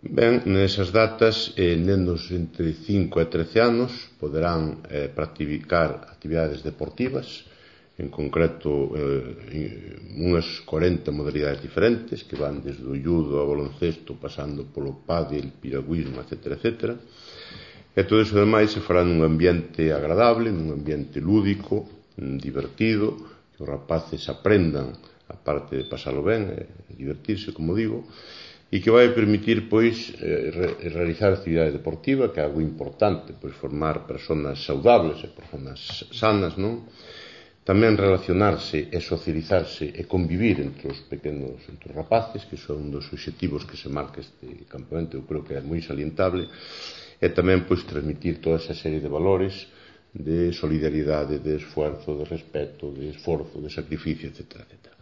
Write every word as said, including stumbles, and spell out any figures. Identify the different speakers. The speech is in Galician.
Speaker 1: Ben, nesas datas, eh, nenos entre cinco e trece anos poderán eh, practicar actividades deportivas, en concreto eh, unhas corenta modalidades diferentes que van desde o judo ao baloncesto pasando polo pádel, piragüismo, etcétera, etcétera. E todo iso demais se fará nun ambiente agradable, nun ambiente lúdico, divertido, que os rapaces aprendan a parte de pasalo ben e divertirse, como digo, e que vai permitir, pois, eh, realizar actividade deportiva, que é algo importante, pois, formar personas saudables e personas sanas, non? Tamén relacionarse e socializarse e convivir entre os pequenos, entre os rapaces, que son un dos obxectivos que se marca este campamento, eu creo que é moi salientable, e tamén, pois, transmitir toda esa serie de valores de solidaridade, de esfuerzo, de respeto, de esforzo, de sacrificio, etcétera, etcétera.